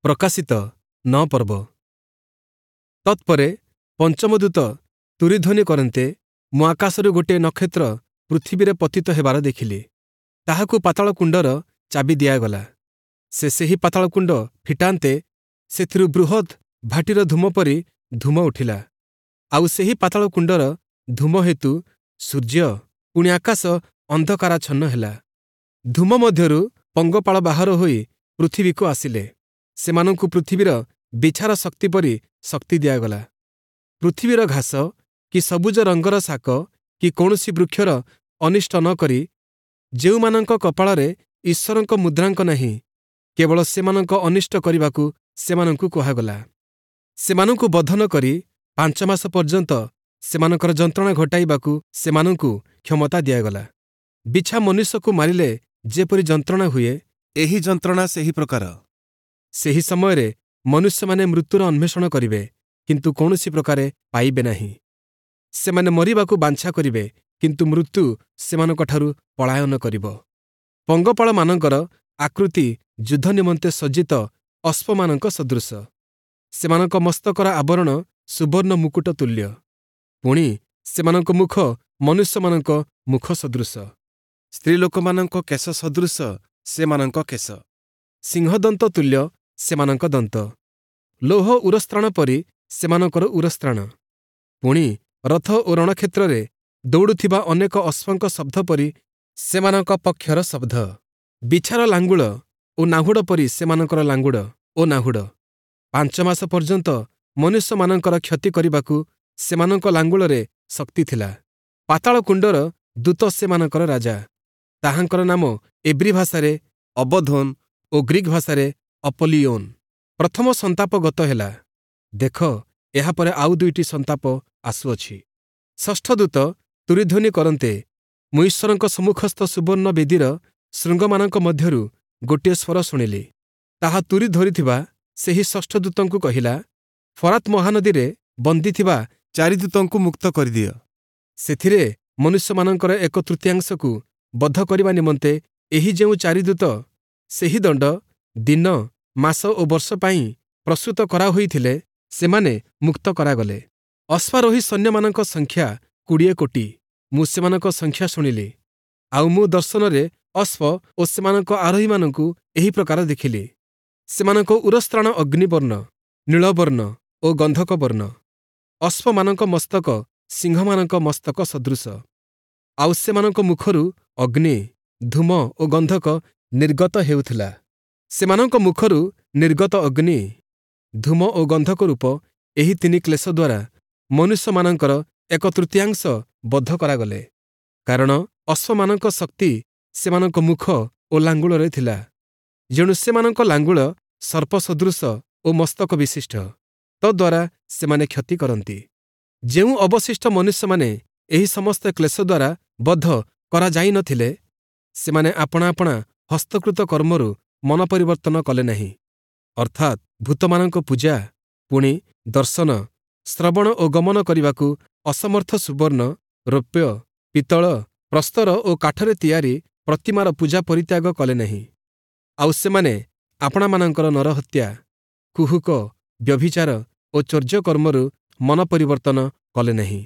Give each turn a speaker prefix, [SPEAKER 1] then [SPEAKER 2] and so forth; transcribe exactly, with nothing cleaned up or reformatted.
[SPEAKER 1] ପ୍ରକାଶିତ ନଅ ପର୍ବ। ତତ୍ପରେ ପଞ୍ଚମ ଦୂତ ତୂରୀଧ୍ୱନି କରନ୍ତେ ମୁଁ ଆକାଶରୁ ଗୋଟିଏ ନକ୍ଷତ୍ର ପୃଥିବୀରେ ପତିତ ହେବାର ଦେଖିଲି। ତାହାକୁ ପାତାଳକୁଣ୍ଡର ଚାବି ଦିଆଗଲା। ସେ ସେହି ପାତାଳକୁଣ୍ଡ ଫିଟାନ୍ତେ ସେଥିରୁ ବୃହତ୍ ଭାଟିର ଧୂମ ପରି ଧୂମ ଉଠିଲା। ଆଉ ସେହି ପାତାଳକୁଣ୍ଡର ଧୂମ ହେତୁ ସୂର୍ଯ୍ୟ ପୁଣି ଆକାଶ ଅନ୍ଧକାରାଚ୍ଛନ୍ନ ହେଲା। ଧୂମ ମଧ୍ୟରୁ ପଙ୍ଗପାଳ ବାହାର ହୋଇ ପୃଥିବୀକୁ ଆସିଲେ। ସେମାନଙ୍କୁ ପୃଥିବୀର ବିଛାର ଶକ୍ତି ପରି ଶକ୍ତି ଦିଆଗଲା। ପୃଥିବୀର ଘାସ କି ସବୁଜ ରଙ୍ଗର ଶାକ କି କୌଣସି ବୃକ୍ଷର ଅନିଷ୍ଟ ନ କରି ଯେଉଁମାନଙ୍କ କପାଳରେ ଈଶ୍ୱରଙ୍କ ମୁଦ୍ରାଙ୍କ ନାହିଁ, କେବଳ ସେମାନଙ୍କ ଅନିଷ୍ଟ କରିବାକୁ ସେମାନଙ୍କୁ କୁହାଗଲା। ସେମାନଙ୍କୁ ବଧ ନ କରି ପାଞ୍ଚ ମାସ ପର୍ଯ୍ୟନ୍ତ ସେମାନଙ୍କର ଯନ୍ତ୍ରଣା ଘଟାଇବାକୁ ସେମାନଙ୍କୁ କ୍ଷମତା ଦିଆଗଲା। ବିଛା ମନୁଷ୍ୟକୁ ମାରିଲେ ଯେପରି ଯନ୍ତ୍ରଣା ହୁଏ,
[SPEAKER 2] ଏହି ଯନ୍ତ୍ରଣା ସେହି ପ୍ରକାର।
[SPEAKER 1] ସେହି ସମୟରେ ମନୁଷ୍ୟମାନେ ମୃତ୍ୟୁର ଅନ୍ୱେଷଣ କରିବେ, କିନ୍ତୁ କୌଣସି ପ୍ରକାରେ ପାଇବେ ନାହିଁ। ସେମାନେ ମରିବାକୁ ବାଞ୍ଛା କରିବେ, କିନ୍ତୁ ମୃତ୍ୟୁ ସେମାନଙ୍କଠାରୁ ପଳାୟନ କରିବ। ପଙ୍ଗପାଳମାନଙ୍କର ଆକୃତି ଯୁଦ୍ଧ ନିମନ୍ତେ ସଜ୍ଜିତ ଅଶ୍ୱମାନଙ୍କ ସଦୃଶ। ସେମାନଙ୍କ ମସ୍ତକର ଆବରଣ ସୁବର୍ଣ୍ଣ ମୁକୁଟ ତୁଲ୍ୟ। ପୁଣି ସେମାନଙ୍କ ମୁଖ ମନୁଷ୍ୟମାନଙ୍କ ମୁଖ ସଦୃଶ।
[SPEAKER 2] ସ୍ତ୍ରୀଲୋକମାନଙ୍କ କେଶ ସଦୃଶ ସେମାନଙ୍କ କେଶ।
[SPEAKER 1] ସିଂହଦନ୍ତ ତୁଲ୍ୟ ସେମାନଙ୍କ ଦନ୍ତ। ଲୌହ ଉରସ୍ତ୍ରାଣ ପରି ସେମାନଙ୍କର ଉରସ୍ତ୍ରାଣ। ପୁଣି ରଥ ଓ ରଣକ୍ଷେତ୍ରରେ ଦୌଡ଼ୁଥିବା ଅନେକ ଅଶ୍ୱଙ୍କ ଶବ୍ଦ ପରି ସେମାନଙ୍କ ପକ୍ଷର ଶବ୍ଦ। ବିଛାର ଲାଙ୍ଗୁଳ ଓ ନାହୁଡ଼ ପରି ସେମାନଙ୍କର ଲାଙ୍ଗୁଡ଼ ଓ ନାହୁଡ଼। ପାଞ୍ଚ ମାସ ପର୍ଯ୍ୟନ୍ତ ମନୁଷ୍ୟମାନଙ୍କର କ୍ଷତି କରିବାକୁ ସେମାନଙ୍କ ଲାଙ୍ଗୁଳରେ ଶକ୍ତି ଥିଲା। ପାତାଳକୁଣ୍ଡର ଦୂତ ସେମାନଙ୍କର ରାଜା। ତାହାଙ୍କର ନାମ ଏବ୍ରୀ ଭାଷାରେ
[SPEAKER 2] ଅବଧୋନ୍
[SPEAKER 1] ଓ ଗ୍ରୀକ୍ ଭାଷାରେ ଅପଲିୟୋନ୍। ପ୍ରଥମ ସନ୍ତାପ ଗତ ହେଲା। ଦେଖ, ଏହାପରେ ଆଉ ଦୁଇଟି ସନ୍ତାପ ଆସୁଅଛି। ଷଷ୍ଠ ଦୂତ ତୂରୀଧ୍ୱନି କରନ୍ତେ ମୁଁ ଈଶ୍ୱରଙ୍କ ସମ୍ମୁଖସ୍ଥ ସୁବର୍ଣ୍ଣ ବେଦୀର ଶୃଙ୍ଗମାନଙ୍କ ମଧ୍ୟରୁ ଗୋଟିଏ ସ୍ୱର ଶୁଣିଲି। ତାହା ତୂରୀ ଧରିଥିବା ସେହି ଷଷ୍ଠ ଦୂତଙ୍କୁ କହିଲା, ଫରାତ୍ ମହାନଦୀରେ ବନ୍ଦୀ ଥିବା
[SPEAKER 2] ଚାରି ଦୂତଙ୍କୁ ମୁକ୍ତ କରିଦିଅ।
[SPEAKER 1] ସେଥିରେ ମନୁଷ୍ୟମାନଙ୍କର ଏକ ତୃତୀୟାଂଶକୁ ବଧ କରିବା ନିମନ୍ତେ ଏହି ଯେଉଁ ଚାରି ଦୂତ ସେହି ଦଣ୍ଡ, ଦିନ, ମାସ ଓ ବର୍ଷ ପାଇଁ ପ୍ରସ୍ତୁତ କରାହୋଇଥିଲେ, ସେମାନେ ମୁକ୍ତ କରାଗଲେ। ଅଶ୍ୱାରୋହୀ ସୈନ୍ୟମାନଙ୍କ ସଂଖ୍ୟା କୋଡ଼ିଏ କୋଟି। ମୁଁ ସେମାନଙ୍କ ସଂଖ୍ୟା ଶୁଣିଲି। ଆଉ ମୁଁ ଦର୍ଶନରେ ଅଶ୍ୱ ଓ ସେମାନଙ୍କ ଆରୋହୀମାନଙ୍କୁ ଏହି ପ୍ରକାର ଦେଖିଲି। ସେମାନଙ୍କ ଉରସ୍ତ୍ରାଣ ଅଗ୍ନିବର୍ଣ୍ଣ, ନୀଳବର୍ଣ୍ଣ ଓ ଗନ୍ଧକ ବର୍ଣ୍ଣ। ଅଶ୍ୱମାନଙ୍କ ମସ୍ତକ ସିଂହମାନଙ୍କ ମସ୍ତକ ସଦୃଶ। ଆଉ ସେମାନଙ୍କ ମୁଖରୁ ଅଗ୍ନି, ଧୂମ ଓ ଗନ୍ଧକ ନିର୍ଗତ ହେଉଥିଲା। ସେମାନଙ୍କ ମୁଖରୁ ନିର୍ଗତ ଅଗ୍ନି, ଧୂମ ଓ ଗନ୍ଧକ ରୂପ ଏହି ତିନି କ୍ଲେଶ ଦ୍ୱାରା ମନୁଷ୍ୟମାନଙ୍କର ଏକ ତୃତୀୟାଂଶ ବଧ କରାଗଲେ। କାରଣ ଅଶ୍ୱମାନଙ୍କ ଶକ୍ତି ସେମାନଙ୍କ ମୁଖ ଓ ଲାଙ୍ଗୁଳରେ ଥିଲା। ଯେଣୁ ସେମାନଙ୍କ ଲାଙ୍ଗୁଳ ସର୍ପ ସଦୃଶ ଓ ମସ୍ତକ ବିଶିଷ୍ଟ, ତଦ୍ୱାରା ସେମାନେ କ୍ଷତି କରନ୍ତି। ଯେଉଁ ଅବଶିଷ୍ଟ ମନୁଷ୍ୟମାନେ ଏହି ସମସ୍ତ କ୍ଲେଶ ଦ୍ୱାରା ବଧ କରାଯାଇନଥିଲେ, ସେମାନେ ଆପଣା ଆପଣା ହସ୍ତକୃତ କର୍ମରୁ ମନ ପରିବର୍ତ୍ତନ କଲେ ନାହିଁ, ଅର୍ଥାତ୍ ଭୂତମାନଙ୍କ ପୂଜା, ପୁଣି ଦର୍ଶନ, ଶ୍ରବଣ ଓ ଗମନ କରିବାକୁ ଅସମର୍ଥ ସୁବର୍ଣ୍ଣ, ରୌପ୍ୟ, ପିତ୍ତଳ, ପ୍ରସ୍ତର ଓ କାଠରେ ତିଆରି ପ୍ରତିମାର ପୂଜା ପରିତ୍ୟାଗ କଲେ ନାହିଁ। ଆଉ ସେମାନେ ଆପଣାମାନଙ୍କର ନରହତ୍ୟା, କୁହୁକ, ବ୍ୟଭିଚାର ଓ ଚୌର୍ଯ୍ୟକର୍ମରୁ ମନ ପରିବର୍ତ୍ତନ କଲେ ନାହିଁ।